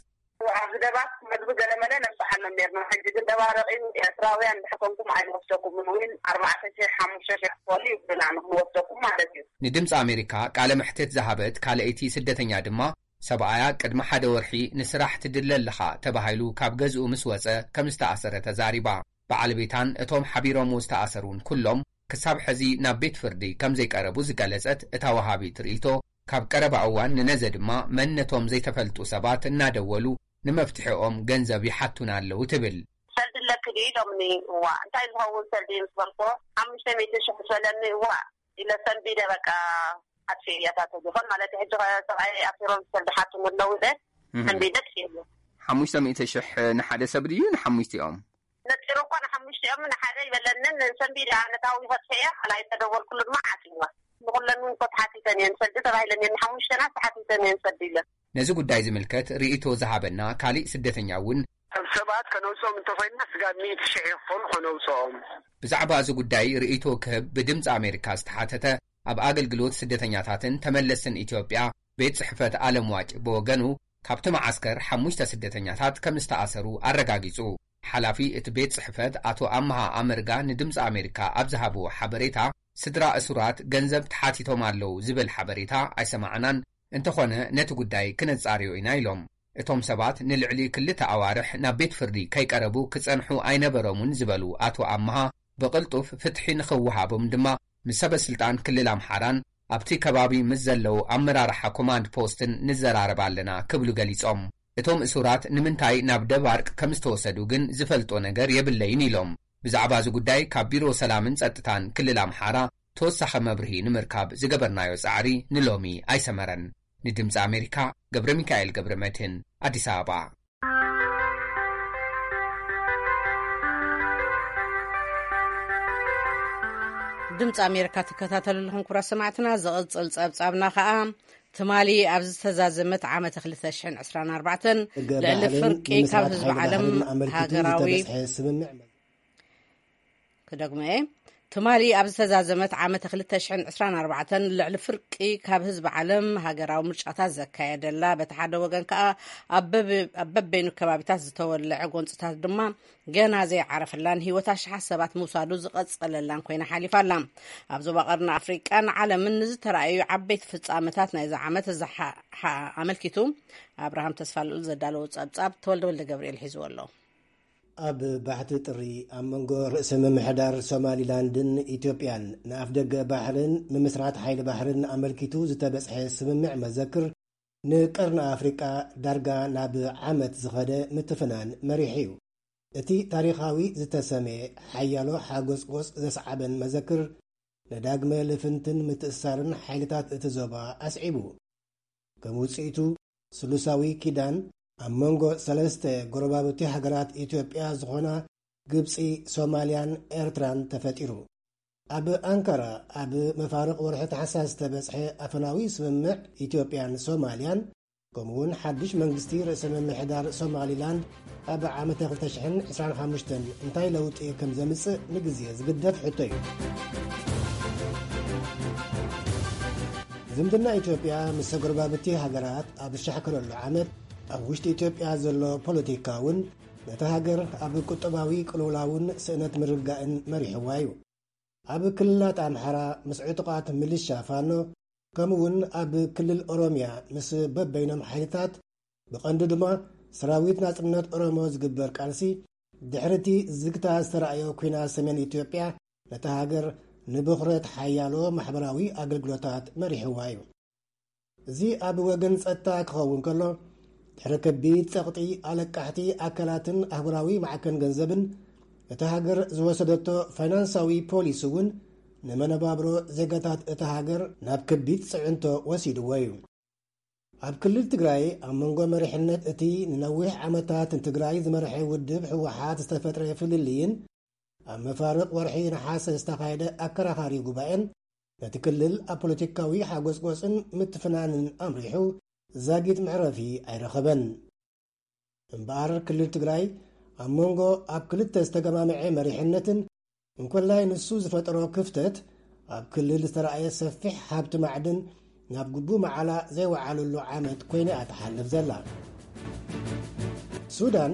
ኣብዚ ደባርቅ መግቢ ገለመለ ነብጽሓሎም ነርና። ሕጂ ግን ደባርቅ እዩ፣ ኤርትራውያን ድሕር ኮንኩም ኣይንወስደኩምን እውን ኣርባዕተ ሽሕ ሓሙሽተ ሽሕ ክፈሉ ይብሉና ንክንወስደኩም ማለት እዩ። ንድምፂ ኣሜሪካ ቃለ መሕትት ዝሃበት ካልኣይቲ ስደተኛ ድማ ሰብኣያ ቅድሚ ሓደ ወርሒ ንስራሕ ትድለ ኣለኻ ተባሂሉ ካብ ገዝኡ ምስ ወጸ ከም ዝተኣሰረ ተዛሪባ። በዓል ቤታን እቶም ሓቢሮምዎ ዝተኣሰሩን ኩሎም ክሳብ ሕዚ ናብ ቤት ፍርዲ ከም ዘይቀረቡ ዝገለጸት እታ ወሃቢት ርእይቶ፣ ካብ ቀረባ እዋን ንነዘ ድማ መንነቶም ዘይተፈልጡ ሰባት እናደወሉ ንመፍትሒኦም ገንዘብ ይሓቱና ኣለዉ ትብል። ሰልዲ ኣለኪ ድዩ ኢሎምኒ። እዋ፣ እንታይ ዝኸውን ሰልዲ ምስ በልኮ፣ ሓሙሽተ ሚእቲ ሽሕ ዝበለኒ፣ እዋ ኢለ ሰንቢደ፣ በቃ ኣጥፊኤ እያ እታ ቴሌፎን ማለት። ሕጂ ከ ሰብኣይ ኣሲሮም ሰልዲ ሓትሙ ኣለዉ ኢለ እህ። ሰንቢደ ጥፊኤ። ሓሙሽተ ሚእቲ ሽሕ ንሓደ ሰብ ድዩ ንሓሙሽቲኦም? ነፂሩ እኮ ንሓሙሽቲኦም ንሓደ ይበለንን ሰንቢደ ኣነታዊ ከጥፊኤ እያ። ካልኣይ ተደወልኩሉ ድማ ዓፂዋ። ንኩለን እውን እኮ ተሓቲተን እየን ሰልዲ ተባሂለን እየን፣ ንሓሙሽተና ተሓቲተን እየን ሰልዲ ኢለን። ነዚ ጉዳይ ዝምልከት ርእይቶ ዝሃበና ካሊእ ስደተኛ እውን፣ ሰብ ሰባት ከነውፅኦም እንተኮይንና ስጋብ ሚእቲ ሽሕ ይኽፈሉ ከነውፅኦም። ብዛዕባ እዚ ጉዳይ ርእይቶ ክህብ ብድምፂ ኣሜሪካ ዝተሓተተ ኣብ ኣገልግሎት ስደተኛታትን ተመለስትን ኢትዮጵያ ቤት ጽሕፈት ኣለምዋጭ ብወገኑ፣ ካብቲ መዓስከር ሓሙሽተ ስደተኛታት ከም ዝተኣሰሩ ኣረጋጊጹ። ሓላፊ እቲ ቤት ጽሕፈት ኣቶ ኣምሃ ኣመርጋ ንድምፂ ኣሜሪካ ኣብ ዝሃብዎ ሓበሬታ፣ ስድራ እሱራት ገንዘብ ተሓቲቶም ኣለዉ ዝብል ሓበሬታ ኣይሰማዕናን፣ እንተኾነ ነቲ ጉዳይ ክነጻርዮ ኢና ኢሎም። እቶም ሰባት ንልዕሊ ክልተ ኣዋርሕ ናብ ቤት ፍርዲ ከይቀረቡ ክጸንሑ ኣይነበሮምን ዝበሉ ኣቶ ኣምሃ፣ ብቕልጡፍ ፍትሒ ንኽወሃቦም ድማ ምስ ሰበ ስልጣን ክልል ኣምሓራን ኣብቲ ከባቢ ምስ ዘለዉ ኣመራርሓ ኮማንድ ፖስትን ንዘራረብ ኣለና ክብሉ ገሊጾም። እቶም እሱራት ንምንታይ ናብ ደባርቅ ከም ዝተወሰዱ ግን ዝፈልጦ ነገር የብለይን ኢሎም። ብዛዕባ እዚ ጉዳይ ካብ ቢሮ ሰላምን ጸጥታን ክልል ኣምሓራ ተወሳኺ መብርሂ ንምርካብ ዝገበርናዮ ጻዕሪ ንሎሚ ኣይሰመረን። ንድምፂ ኣሜሪካ ገብረ ሚካኤል ገብረ መድህን፣ ኣዲስ ኣበባ። ድምፂ ኣሜሪካ ትከታተሉ ኣለኹም ክቡራት ሰማዕትና። ዝቕጽል ጸብጻብና ኸኣ ትማሊ ኣብ ዝተዛዘመት ዓመተ ክልተ ሽሕን ዕስራን ኣርባዕተን ልዕሊ ፍርቂ ካብ ህዝቢ ዓለም ሃገራዊ ክደግሞ እየ። ትማሊ ኣብ ዝተዛዘመት ዓመተ ክልተ ሽሕን ዕስራን ኣርባዕተን ልዕሊ ፍርቂ ካብ ህዝቢ ዓለም ሃገራዊ ምርጫታት ዘካየደላ፣ በቲ ሓደ ወገን ከኣ ኣብ በበ-፣ ኣብ በበይኑ ከባቢታት ዝተወለዐ ጎንጽታት ድማ ገና ዘይዓረፈላን ህይወት ኣሽሓት ሰባት ምውሳዱ ዝቐጸለላን ኮይና ሓሊፋ ኣላ። ኣብ ዞባ ቀርኒ ኣፍሪቃን ዓለምን ንዝተራእዩ ዓበይቲ ፍጻመታት ናይዚ ዓመት ዝሓ-፣ ሓ-፣ ኣመልኪቱ ኣብርሃም ተስፋልኡል ዘዳለዎ ጸብጻብ ተወልደ ወልደ ገብርኤል ሒዝዎ ኣሎ። ኣብ ባሕቲ ጥሪ ኣብ መንጎ ርእሰ ምምሕዳር ሶማሊላንድን ኢትዮጵያን ንኣፍደገ ባሕርን ምምስራት ሓይሊ ባሕርን ኣመልኪቱ ዝተበጽሐ ስምምዕ መዘክር፣ ንቀርኒ ኣፍሪቃ ዳርጋ ናብ ዓመት ዝኸደ ምትፍናን መሪሕ እዩ። እቲ ታሪኻዊ ዝተሰምየ ሓያሎ ሓጎጽጎጽ ዘስዓበን መዘክር፣ ንዳግመ ልፍንትን ምትእሳርን ሓይልታት እቲ ዞባ ኣስዒቡ። ከም ውጽኢቱ፣ ስሉሳዊ ኪዳን ኣብ መንጎ ሰለስተ ጎረባብቲ ሃገራት ኢትዮጵያ ዝኾና ግብጺ፣ ሶማልያን ኤርትራን ተፈጢሩ። ኣብ ኣንካራ ኣብ መፋርቕ ወርሒ ታሕሳስ ዝተበጽሐ ኣፈናዊ ስምምዕ ኢትዮጵያን ሶማልያን፣ ከምኡውን ሓድሽ መንግስቲ ርእሰ ምምሕዳር ሶማሊላንድ ኣብ ዓመተ ክልተ ሽሕን ዕስራን ሓሙሽተን እንታይ ለውጢ ከም ዘምጽእ ንግዜ ዝግደፍ ሕቶ እዩ። ዝምድና ኢትዮጵያ ምስ ጎረባብቲ ሃገራት ኣብ ዝሻሕከረሉ ዓመት፣ ኣብ ውሽጢ ኢትዮጵያ ዘሎ ፖለቲካ እውን ነታ ሃገር ኣብ ቁጠባዊ ቅልውላውን ስእነት ምርጋእን መሪሕዋ እዩ። ኣብ ክልላት ኣምሓራ ምስ ዕጡቓት ምልሻ ፋኖ፣ ከምኡውን ኣብ ክልል ኦሮምያ ምስ በበይኖም ሓይልታት፣ ብቐንዱ ድማ ሰራዊት ናጽነት ኦሮሞ ዝግበር ቃልሲ፣ ድሕሪ እቲ ዝግታ ዝተራእዮ ኲናት ሰሜን ኢትዮጵያ፣ ነታ ሃገር ንብኽረት ሓያሎ ማሕበራዊ ኣገልግሎታት መሪሕዋ እዩ። እዚ ኣብ ወገን ጸጥታ ክኸውን ከሎ፣ ድሕሪ ከቢድ ጸቕጢ ኣለቃሕቲ ኣካላትን ኣህጉራዊ ማዕከን ገንዘብን፣ እታ ሃገር ዝወሰደቶ ፋይናንሳዊ ፖሊሲ እውን ንመነባብሮ ዜጋታት እታ ሃገር ናብ ከቢድ ጽዕንቶ ወሲድዎ እዩ። ኣብ ክልል ትግራይ፣ ኣብ መንጎ መሪሕነት እቲ ንነዊሕ ዓመታት ንትግራይ ዝመርሐ ውድብ ህወሓት ዝተፈጥረ ፍልልይን፣ ኣብ መፋርቕ ወርሒ ነሓሰ ዝተኻየደ ኣከራኻሪ ጉባኤን፣ ነቲ ክልል ኣብ ፖለቲካዊ ሓጎጽጎጽን ምትፍናንን ኣምሪሑ፣ ዛጊት መዕረፊ ኣይረኸበን። እምበኣር፣ ክልል ትግራይ ኣብ መንጎ ኣብ ክልተ ዝተገማምዐ መሪሕነትን፣ እንኮላይ ንሱ ዝፈጠሮ ክፍተት፣ ኣብ ክልል ዝተራእየ ሰፊሕ ሃብቲ ማዕድን ናብ ግቡእ መዓላ ዘይወዓለሉ ዓመት ኮይና እያ ትሓልፍ ዘላ። ሱዳን፣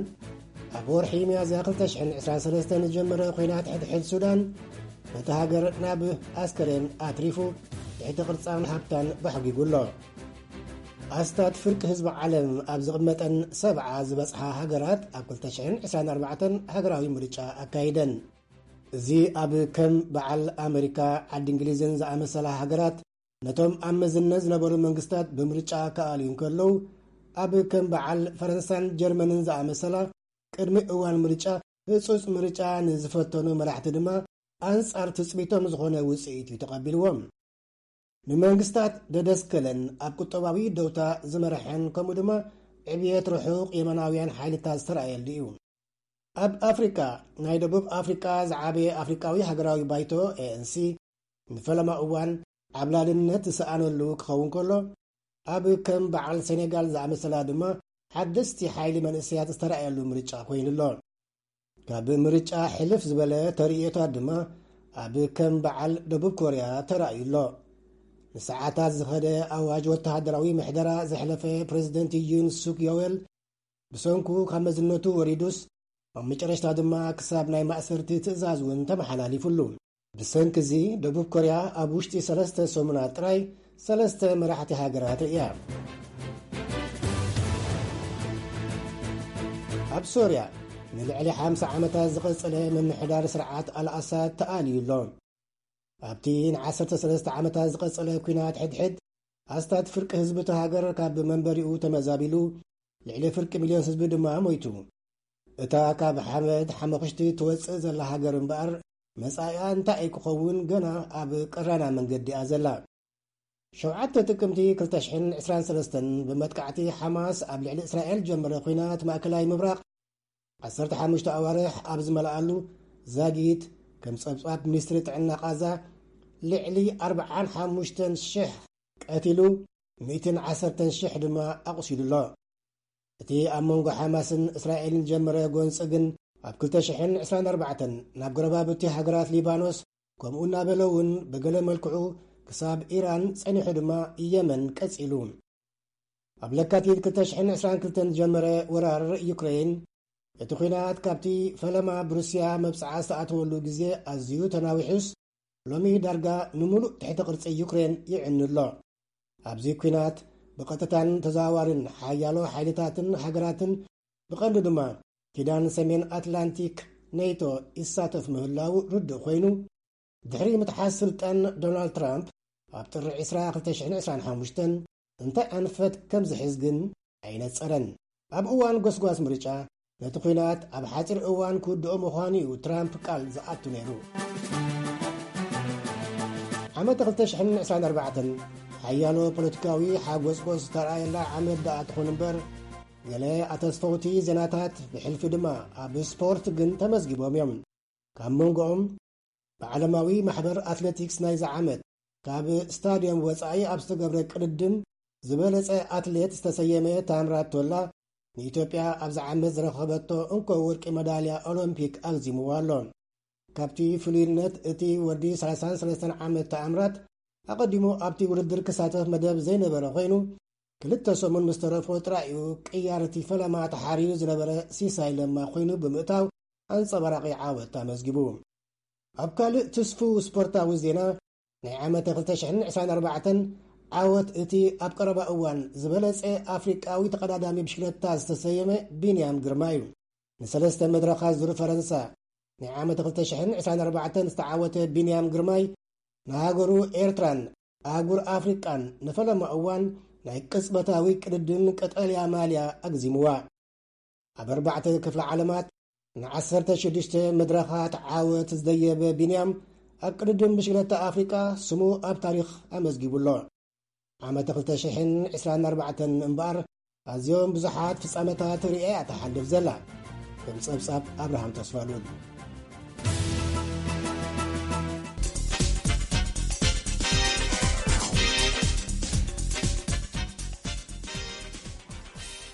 ኣብ ወርሒ ሚያዝያ ክልተ ሽሕን ዕስራን ሰለስተን ዝጀመረ ኲናት ሕድሕድ ሱዳን፣ ነቲ ሃገር ናብ ኣስከሬን ኣትሪፉ፣ ትሕቲ ቅርጻን ሃብታን ባሕጒጉ ኣሎ። ኣስታት ፍርቂ ህዝቢ ዓለም ኣብ ዝቕመጠን ሰብዓ ዝበጽሓ ሃገራት ኣብ ክልተ ሽሕን ዕስራን ኣርባዕተን ሃገራዊ ምርጫ ኣካይደን። እዚ ኣብ ከም በዓል ኣመሪካ፣ ዓዲ እንግሊዝን ዝኣመሰላ ሃገራት ነቶም ኣብ መዝነት ዝነበሩ መንግስታት ብምርጫ ክኣልዩ እንከለዉ፣ ኣብ ከም በዓል ፈረንሳን ጀርመንን ዝኣመሰላ ቅድሚ እዋን ምርጫ ህጹጽ ምርጫ ንዝፈተኑ መራሕቲ ድማ ኣንጻር ትጽቢቶም ዝኾነ ውጽኢት እዩ ተቐቢልዎም። ንመንግስታት ደደስከለን ኣብ ቁጠባዊ ደውታ ዝመርሐን ከምኡ ድማ ዕብየት ርሑቕ የማናውያን ሓይልታት ዝተራእየሉ እዩ። ኣብ ኣፍሪቃ፣ ናይ ደቡብ ኣፍሪቃ ዝዓበየ ኣፍሪቃዊ ሃገራዊ ባይቶ፣ ኤ ኤን ሲ፣ ንፈለማ እዋን ዓብላልነት ዝሰኣነሉ ክኸውን ከሎ፣ ኣብ ከም በዓል ሴኔጋል ዝኣመሰላ ድማ ሓደስቲ ሓይሊ መንእሰያት ዝተራእየሉ ምርጫ ኮይኑ ኣሎ። ካብ ምርጫ ሕልፍ ዝበለ ተርእዮታት ድማ ኣብ ከም በዓል ደቡብ ኮርያ ተራእዩ ኣሎ። ንሰዓታት ዝኸደ ኣዋጅ ወተሃደራዊ ምሕደራ ዘሕለፈ ፕሬዚደንት ዩን ሱክ ዮዌል፣ ብሰንኩ ካብ መዝነቱ ወሪዱስ፣ ኣብ መጨረሽታ ድማ ክሳብ ናይ ማእሰርቲ ትእዛዝ እውን ተመሓላሊፉሉ። ብሰንኪ እዚ፣ ደቡብ ኮርያ ኣብ ውሽጢ ሰለስተ ሰሙናት ጥራይ ሰለስተ መራሕቲ ሃገራት ርእያ። ኣብ ሶርያ፣ ንልዕሊ ሓምሳ ዓመታት ዝቐጸለ ምምሕዳር ስርዓት ኣልኣሳድ ተኣልዩ ኣሎ። ኣብቲ ንዓሰርተ ሰለስተ ዓመታት ዝቐጸለ ኲናት ሕድሕድ፣ ኣስታት ፍርቂ ህዝቢ እታ ሃገር ካብ መንበሪኡ ተመዛቢሉ፣ ልዕሊ ፍርቂ ሚልዮን ህዝቢ ድማ ሞይቱ። እታ ካብ ሓመድ ሓመኹሽቲ ትወጽእ ዘላ ሃገር እምበኣር፣ መጻኢኣ እንታይ እዩ ክኸውን ገና ኣብ ቀራና መንገዲ እያ ዘላ። ሸውዓተ ጥቅምቲ ክልተ ሽሕን ዕስራን ሰለስተን፣ ብመጥቃዕቲ ሓማስ ኣብ ልዕሊ እስራኤል ጀመረ ኲናት ማእከላይ ምብራቕ፣ ዓሰርተ ሓሙሽተ ኣዋርሕ ኣብ ዝመልኣሉ፣ ዛጊት፣ ከም ጸብጻብ ሚኒስትሪ ጥዕና ቃዛ፣ ልዕሊ ኣርብዓን ሓሙሽተን ሽሕ ቀቲሉ፣ ሚእትን ዓሰርተን ሽሕ ድማ ኣቑሲሉ ኣሎ። እቲ ኣብ መንጎ ሓማስን እስራኤልን ዝጀመረ ጎንጺ ግን፣ ኣብ ክልተ ሽሕን ዕስራን ኣርባዕተን ናብ ጎረባብቲ ሃገራት ሊባኖስ፣ ከምኡ እናበለ እውን ብገለ መልክዑ ክሳብ ኢራን ጸኒሑ ድማ የመን ቀጺሉ። ኣብ ለካቲት ክልተ ሽሕን ዕስራን ክልተን ዝጀመረ ወራር ዩክሬን፣ እቲ ኲናት ካብቲ ፈለማ ብሩስያ መብጽዓ ዝተኣተወሉ ግዜ ኣዝዩ ተናዊሑስ፣ ሎሚ ዳርጋ ንምሉእ ትሕቲ ቅርጺ ዩክሬን ይዕኑ ኣሎ። ኣብዚ ኲናት ብቐጥታን ተዘዋዋርን ሓያሎ ሓይልታትን ሃገራትን፣ ብቐንዱ ድማ ኪዳን ሰሜን ኣትላንቲክ ኔቶ ይሳተፍ ምህላዉ ርዱእ ኮይኑ፣ ድሕሪ ምትሓዝ ስልጣን ዶናልድ ትራምፕ ኣብ ጥሪ ዕስራ ክልተ ሽሕን ዕስራን ሓሙሽተን እንታይ ኣንፈት ከም ዝሕዝ ግን ኣይነጸረን። ኣብ እዋን ጎስጓስ ምርጫ ነቲ ኲናት ኣብ ሓጺር እዋን ክውድኦ ምዃኑ እዩ ትራምፕ ቃል ዝኣቱ ነይሩ። ዓመት ክልተ ሽሕን ዕስራን ኣርባዕተን ሓያሎ ፖለቲካዊ ሓጎስጎስ ዝተረኣየላ ዓመት ደኣ ትኹን እምበር፣ ገለ ኣተስፈውቲ ዜናታት ብሕልፊ ድማ ኣብ ስፖርት ግን ተመዝጊቦም እዮም። ካብ መንጎኦም ብዓለማዊ ማሕበር ኣትሌቲክስ ናይዚ ዓመት ካብ ስታድዮም ወጻኢ ኣብ ዝተገብረ ቅድድም ዝበለጸ ኣትሌት ዝተሰየመ ታምራት ቶላ ንኢትዮጵያ ኣብዚ ዓመት ዝረኸበቶ እንኮ ወርቂ መዳልያ ኦሎምፒክ ኣግዚምዎ ኣሎ። ካብቲ ፍሉይነት እቲ ወዲ ሰላሳን ሰለስተን ዓመት ታምራት ኣቐዲሙ ኣብቲ ውድድር ክሳተፍ መደብ ዘይነበረ ኮይኑ ክልተ ሰሙን ምስ ተረፎ ጥራይ እዩ ቅያር እቲ ፈለማ ተሓርዩ ዝነበረ ሲሳይ ለማ ኮይኑ ብምእታው ኣንጸባራቒ ዓወት ኣመዝጊቡ። ኣብ ካልእ ትስፉው ስፖርታዊ ዜና ናይ ዓመተ ክልተ ሽሕን ዕስራን ኣርባዕተን ዓወት እቲ ኣብ ቀረባ እዋን ዝበለጸ ኣፍሪቃዊ ተቐዳዳሚ ብሽክለታ ዝተሰየመ ቢንያም ግርማ እዩ። ንሰለስተ መድረኻት ዙር ፈረንሳ ናይ ዓመት ክልተ ሽሕን ዕስራን ኣርባዕተን ዝተዓወተ ቢንያም ግርማይ ንሃገሩ ኤርትራን ኣህጉር ኣፍሪቃን ንፈለማ እዋን ናይ ቅጽበታዊ ቅድድም ቀጠልያ ማልያ ኣግዚምዋ። ኣብ ኣርባዕተ ክፍለ ዓለማት ንዓሰርተ ሽዱሽተ መድረኻት ዓወት ዝደየበ ቢንያም ኣብ ቅድድም ብሽክለታ ኣፍሪቃ ስሙ ኣብ ታሪኽ ኣመዝጊቡ ኣሎ። ዓመት ክልተ ሽሕን ዕስራን ኣርባዕተን እምበኣር ኣዝዮም ብዙሓት ፍጻመታት ርእያ እያ ትሓልፍ ዘላ። ከም ጸብጻብ ኣብርሃም ተስፋሉል።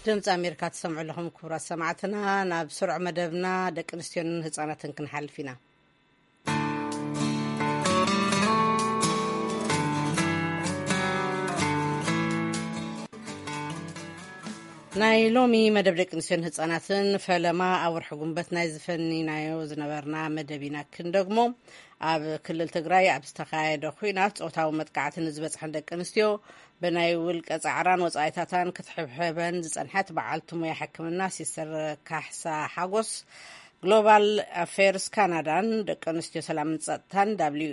ድምፂ ኣሜሪካ ትሰምዑ ኣለኹም ክቡራት ሰማዕትና። ናብ ስሩዕ መደብና ደቂ ኣንስትዮን ህፃናትን ክንሓልፍ ኢና። ናይ ሎሚ መደብ ደቂ ኣንስትዮን ህፃናትን ፈለማ ኣብ ወርሒ ጉንበት ናይ ዝፈኒናዮ ዝነበርና መደብ ኢና ክንደግሞ። ኣብ ክልል ትግራይ ኣብ ዝተኻየደ ኲናት ፆታዊ መጥቃዕቲ ንዝበፅሐን ደቂ ኣንስትዮ ብናይ ውልቀ ፃዕራን ወፃኢታታን ክትሕብሕበን ዝፀንሐት በዓልቲ ሙያ ሕክምና ሲስተር ካሕሳ ሓጎስ ግሎባል ኣፌርስ ካናዳን ደቂ ኣንስትዮ ሰላምን ጸጥታን ደብሊው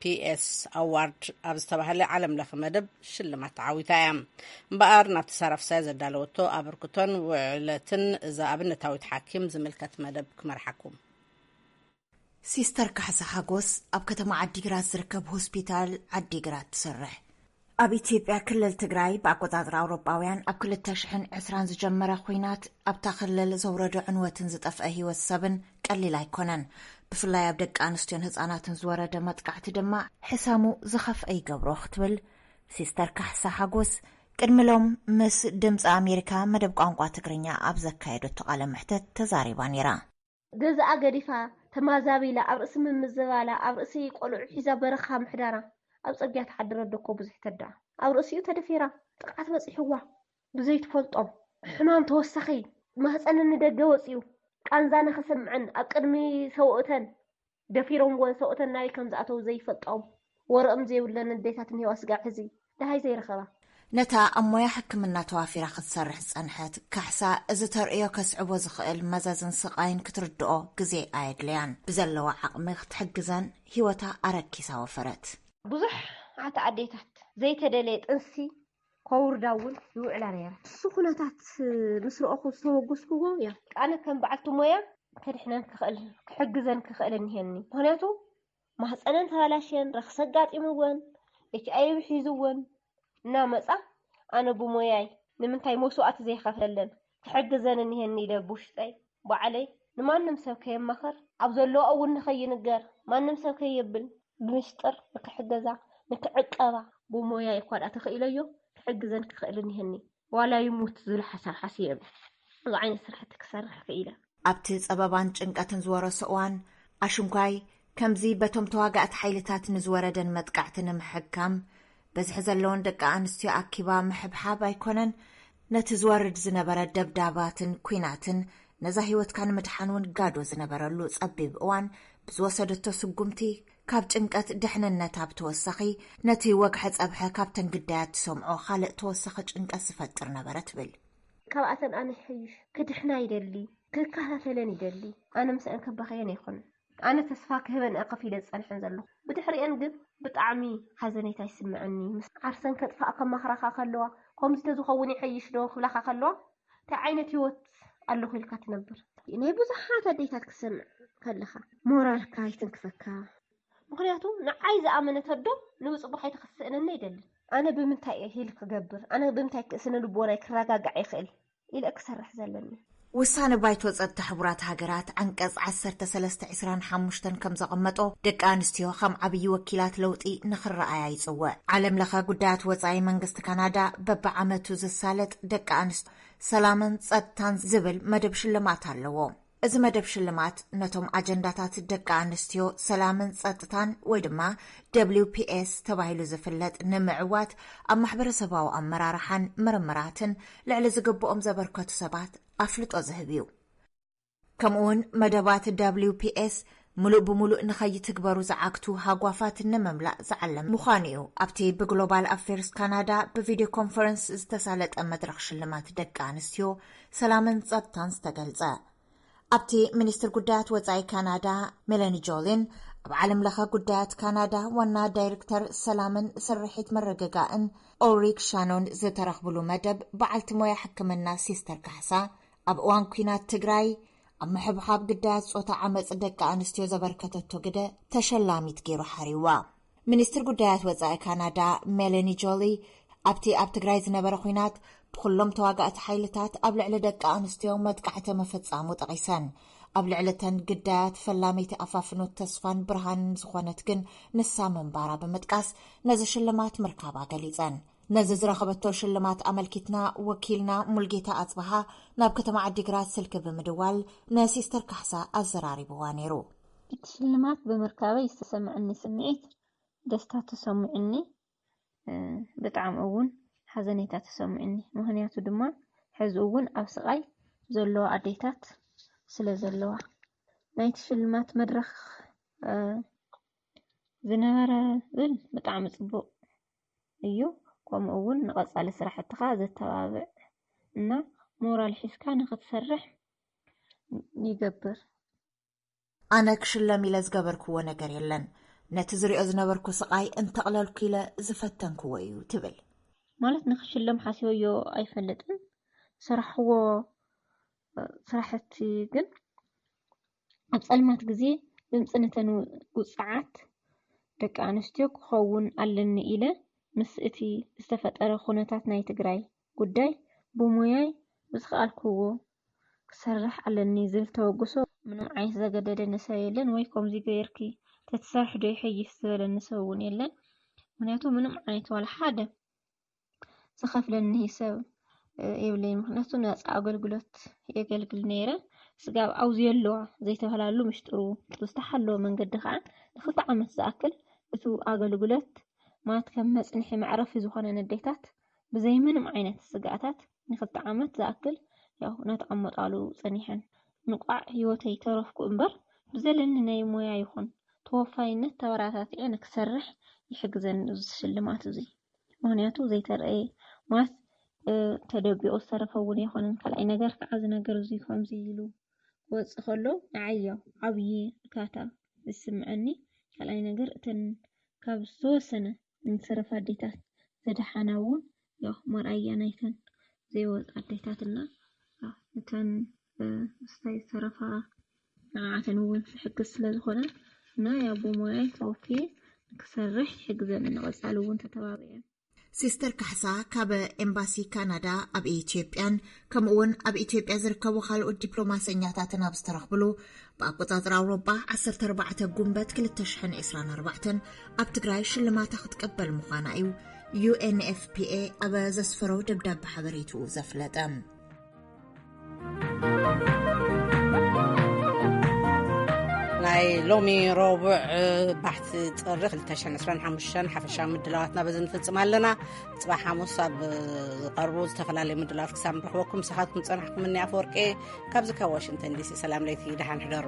ፒ ኤስ ኣዋርድ ኣብ ዝተባህለ ዓለም ለኸ መደብ ሽልማት ተዓዊታ እያ። እምበኣር ናብቲ ሳራ ፍሳይ ዘዳለወቶ ኣበርክቶን ውዕለትን እዛ ኣብነታዊት ሓኪም ዝምልከት መደብ ክመርሓኩም። ሲስተር ካሕሳ ሓጎስ ኣብ ከተማ ዓዲግራት ዝርከብ ሆስፒታል ዓዲግራት ትሰርሕ። ኣብ ኢትዮጵያ ክልል ትግራይ ብኣቆጻጽራ ኣውሮጳውያን ኣብ ክልተ ሽሕን ዕስራን ዝጀመረ ኲናት ኣብታ ክልል ዘውረዶ ዕንወትን ዝጠፍአ ህይወት ሰብን ቀሊል ኣይኮነን። ብፍላይ ኣብ ደቂ ኣንስትዮን ህጻናትን ዝወረደ መጥቃዕቲ ድማ ሕሰሙ ዝኸፍአ ይገብሮ ክትብል ሲስተር ካሕሳ ሓጎስ ቅድሚ ሎም ምስ ድምፂ ኣሜሪካ መደብ ቋንቋ ትግርኛ ኣብ ዘካየደቶ ቃለ ምሕተት ተዛሪባ ነይራ። ገዛኣ ገዲፋ፣ ተማዛቢላ፣ ኣብ ርእሲ ምምዝባላ፣ ኣብ ርእሲ ቆልዑ ሒዛ በረኻ ምሕዳራ፣ ኣብ ጽርግያ ትሓድር ኣዶ እኮ ብዙሕ ተዳ። ኣብ ርእሲኡ ተደፊራ፣ ጥቕዓት በጺሕዋ። ብዘይትፈልጦም፣ ሕማም ተወሳኺ፣ ማህጸነን ንደገ ወጺኡ፣ ቃንዛ ንኽስምዐን ኣብ ቅድሚ ሰብኡተን ደፊሮምወን፣ ሰብኡተን ናበይ ከም ዝኣተዉ ዘይፈልጦም፣ ወረኦም ዘይብለን ኣዴታት እኒሄዋ ስጋብ ሕዚ ደሃይ ዘይረኸባ። ነታ ኣብ ሞያ ሕክምና ተዋፊራ ክትሰርሕ ዝጸንሐት ካሕሳ፣ እዚ ተርእዮ ከስዕቦ ዝኽእል መዘዝን ስቓይን ክትርድኦ ግዜ ኣየድለያን። ብዘለዋ ዓቕሚ ክትሕግዘን ህይወታ ኣረኪሳ ወፈረት። ብዙሓት ኣዴታት ዘይተደለየ ጥንሲ ከውርዳ እውን ይውዕላ ነይረን። እሱ ኩነታት ምስ ረኣኹ ዝተበገስኩዎ እያ። ኣነ ከም በዓልቲ ሞያ ከድሕነን ክኽእል፣ ክሕግዘን ክኽእል እኒሄኒ። ምኽንያቱ ማህፀነን ተባላሽየን፣ ረኽሲ ኣጋጢምወን፣ ኤች ኣይ ቪ ሒዝወን እናመፃ፣ ኣነ ብሞያይ ንምንታይ መስዋእቲ ዘይኸፍለለን ክሕግዘን እኒሄኒ ኢለ ብውሽጠይ ባዕለይ ንማንም ሰብ ከየማኽር፣ ኣብ ዘለዋ እውን ንኸይንገር፣ ማንም ሰብ ከየብል፣ ብምስጢር ንክሕገዛ፣ ንክዕቀባ፣ ብሞያይ እኳ ደኣ ተኽኢለዮ ክሕግዘን ክኽእል እኒሀኒ። ዋላ ይሙት ዝብል ሓሳብ ሓስየ እየ። እዚ ዓይነት ስራሕቲ ክሰርሕ ክኢለ። ኣብቲ ጸበባን ጭንቀትን ዝወረሶ እዋን፣ ኣሽንኳይ ከምዚ በቶም ተዋጋእቲ ሓይልታት ንዝወረደን መጥቃዕቲ ንምሕካም፣ በዝሒ ዘለዎን ደቂ ኣንስትዮ ኣኪባ ምሕብሓብ ኣይኮነን፣ ነቲ ዝወርድ ዝነበረ ደብዳባትን ኲናትን፣ ነዛ ህይወትካ ንምድሓን እውን ጋዶ ዝነበረሉ ጸቢብ እዋን፣ ብዝወሰደቶ ስጉምቲ፣ ካብ ጭንቀት ድሕንነት ኣብ ተወሳኺ፣ ነቲ ወግሐ ጸብሐ ካብተን ግዳያት ትሰምዖ ካልእ ተወሳኺ ጭንቀት ዝፈጥር ነበረ ትብል። ካብኣተን ኣነ ይሐይሽ፣ ክድሕና ይደሊ፣ ክከታተለን ይደሊ። ኣነ ምስአን ከባኸየን ኣይኮነን። ኣነ ተስፋ ክህበን እየ ከፊለ ዝጸንሐን ዘለኹ። ብድሕሪአን ግን ብጣዕሚ ሓዘኔታ ይስምዐኒ። ምስ ዓርሰን ከጥፋእ ከማኽራኻ ከለዋ፣ ከምዚ ተዝኸውን ይሐይሽ ዶ ክብላኻ ከለዋ፣ እንታይ ዓይነት ህይወት ኣለኹ ኢልካ ትነብር? ናይ ብዙሓት ኣዴታት ክትሰምዕ ከለኻ፣ ሞራልካ ይትንክፈካ። ምኽንያቱ ንዓይ ዝኣመነት ኣዶ ንብጽቡቕ ኣይተኽስእነኒ ኣይደልን። ኣነ ብምንታይ እየ ሂል ክገብር? ኣነ ብምንታይ ክስነ ልቦናይ ክረጋጋዕ ይኽእል? ኢለ ክሰርሕ ዘለኒ። ውሳነ ባይቶ ጸጥታ ሕቡራት ሃገራት ዓንቀጽ ዓሰርተ ሰለስተ ዕስራን ሓሙሽተን ከም ዘቐመጦ፣ ደቂ ኣንስትዮ ከም ዓብዪ ወኪላት ለውጢ ንኽረኣያ ይጽውዕ። ዓለም ለኸ ጉዳያት ወጻኢ መንግስቲ ካናዳ በብዓመቱ ዝሳለጥ ደቂ ኣንስትዮ ሰላምን ጸጥታን ዝብል መደብ ሽልማት ኣለዎ። እዚ መደብ ሽልማት ነቶም ኣጀንዳታት ደቂ ኣንስትዮ ሰላምን ጸጥታን ወይ ድማ ደብሊው ፒ ኤስ ተባሂሉ ዝፍለጥ ንምዕዋት ኣብ ማሕበረሰባዊ ኣመራርሓን ምርምራትን ልዕሊ ዝግብኦም ዘበርከቱ ሰባት ኣፍልጦ ዝህብ እዩ። ከምኡውን መደባት ደብሊው ፒ ኤስ ምሉእ ብምሉእ ንኸይትግበሩ ዝዓግቱ ሃጓፋት ንምምላእ ዝዓለም ምዃኑ እዩ። ኣብቲ ብግሎባል ኣፌርስ ካናዳ ብቪድዮ ኮንፈረንስ ዝተሳለጠ መድረኽ ሽልማት ደቂ ኣንስትዮ ሰላምን ጸጥታን ዝተገልጸ። ኣብቲ ሚኒስትር ጉዳያት ወጻኢ ካናዳ ሜለኒ ጆሊን፣ ኣብ ዓለም ለኸ ጉዳያት ካናዳ ዋና ዳይሬክተር ሰላምን ስርሒት ምርግጋእን ኦልሪክ ሻኖን ዝተረኽብሉ መደብ፣ በዓልቲ ሞያ ሕክምና ሲስተር ካሕሳ፣ ኣብ እዋን ኲናት ትግራይ ኣብ ምሕብሓብ ግዳያት ጾታ ዓመጽ ደቂ ኣንስትዮ ዘበርከተቶ ግደ ተሸላሚት ገይሩ ሓሪዋ። ሚኒስትር ጉዳያት ወጻኢ ካናዳ ሜለኒ ጆሊ፣ ኣብቲ ኣብ ትግራይ ዝነበረ ኲናት ብኩሎም ተዋጋእቲ ሓይልታት ኣብ ልዕሊ ደቂ ኣንስትዮ መጥቃዕቲ ምፍጻሙ ጠቒሰን፣ ኣብ ልዕሊ እተን ግዳያት ፈላመይቲ ኣፋፍኖት ተስፋን ብርሃንን ዝኾነት ግን ንሳ ምንባራ ብምጥቃስ፣ ነዚ ሽልማት ምርካባ ገሊጸን። ነዚ ዝረኸበቶ ሽልማት ኣመልኪትና፣ ወኪልና ሙልጌታ ኣጽብሃ ናብ ከተማ ዓዲግራት ስልኪ ብምድዋል ንሲስተር ካሕሳ ኣዘራሪብዋ ነይሩ። እቲ ሽልማት ብምርካበይ ዝተሰምዐኒ ስምዒት ደስታ ተሰሚዑኒ፣ እ፣ ብጣዕሚ እውን ሓዘኔታ ተሰሚዑኒ። ምኽንያቱ ድማ፣ ሕዚ እውን ኣብ ስቓይ ዘለዋ ኣዴታት ስለ ዘለዋ። ናይቲ ሽልማት መድረኽ፣ እ፣ ዝነበረ ብል ብጣዕሚ ጽቡቕ እዩ። ከምኡ እውን ንቐጻሊ ስራሕትኻ ዘተባብዕ እና ሞራል ሒዝካ ንኽትሰርሕ ይገብር። ኣነ ክሽለም ኢለ ዝገበርክዎ ነገር የለን። ነቲ ዝሪኦ ዝነበርኩ ስቓይ እንተቕለልኩ ኢለ ዝፈተንክዎ እዩ ትብል። ማለት ንኽሽለም ሓሲበዮ ኣይፈልጥን። ዝሰራሕዎ ስራሕቲ ግን ኣብ ጸልማት ግዜ ድምጺ ነተን ውጽዓት ደቂ ኣንስትዮ ክኸውን ኣለኒ ኢለ ምስ እቲ ዝተፈጠረ ኩነታት ናይ ትግራይ ጉዳይ ብሞያይ ብዝኸኣልክዎ ክሰርሕ ኣለኒ ዝብል ተበግሶ ምንም ዓይነት ዘገደደኒ ሰብ የለን፣ ወይ ከምዚ ገይርኪ ተትሰርሒ ዶ ይሐይሽ ዝበለኒ ሰብ እውን የለን። ምኽንያቱ ምንም ዓይነት ዋላ ሓደ ዝኸፍለኒ ሰብ፣ እ፣ የብለይን። ምኽንያቱ ነጻ ኣገልግሎት የገልግል ነይረ። ስጋብ ኣብዚ ኣለዋ ዘይተባህላሉ ምሽጥሩ ብዝተሓለወ መንገዲ ከዓ ንክልተ ዓመት ዝኣክል እቱ ኣገልግሎት ማለት ከም መጽንሒ መዕረፊ ዝኾነ ነዴታት ብዘይ ምንም ዓይነት ስጋኣታት ንክልተ ዓመት ዝኣክል ያው እናተቐመጣሉ ጸኒሐን። እንቋዕ ህይወተይ ተረፍኩ እምበር ብዘለኒ ናይ ሞያ ይኹን ተወፋይነት ተበራታትዐ ንክሰርሕ ይሕግዘኒ እዚ ሽልማት እዚ። ምኽንያቱ ዘይተረኣየ ማለት፣ እ፣ ተደቢቑ ዝተረፈ እውን ኣይኮነን። ካልኣይ ነገር ከዓ እዚ ነገር እዚ ከምዚ ኢሉ ክወፅእ ከሎ ንዓይ ያው ዓብዪ እርካታ ዝስምዐኒ። ካልኣይ ነገር እተን ካብ ዝተወሰነ ዝተረፋ ኣዴታት ዝደሓና እውን ያው መርኣያ ናይተን ዘይወፃ ኣዴታትና ያው እተን፣ እ፣ ምስታይ ዝተረፋ ንዓተን እውን ዝሕግዝ ስለ ዝኾነ እና ያው ብሞያይ ተወፍየ ንክሰርሕ ይሕግዘኒ። ንቐፃሊ እውን ተተባብዐ። ሲስተር ካሕሳ ካብ ኤምባሲ ካናዳ ኣብ ኢትዮጵያን ከምኡ እውን ኣብ ኢትዮጵያ ዝርከቡ ካልኦት ዲፕሎማሰኛታትን ኣብ ዝተረኽብሉ ብኣቆጻጽራ ኣውሮጳ ዓሰርተ ኣርባዕተ ጉንበት ክልተ ሽሕን ዕስራን ኣርባዕተን ኣብ ትግራይ ሽልማታ ክትቀበል ምዃና እዩ ዩ ኤን ኤፍ ፒ ኤ ኣብ ዘስፈሮ ደብዳቤ ሓበሬትኡ ዘፍለጠ። ኣይ ሎሚ ረቡዕ ባሕቲ ጥሪ ክልተ ሽሕን ዕስራን ሓሙሽተን ሓፈሻዊ ምድላዋትና በዚ ንፍጽም ኣለና። ጽባሕ ሓሙስ ኣብ ዝቐርቡ ዝተፈላለዩ ምድላዋት ክሳብ ንረኽበኩም ንስኻትኩም ዝጸናሕኩም እኒ ኣፈወርቄ ካብዚ ካብ ዋሽንግተን ዲሲ ሰላም ለይቲ ደሓን ሕደሩ።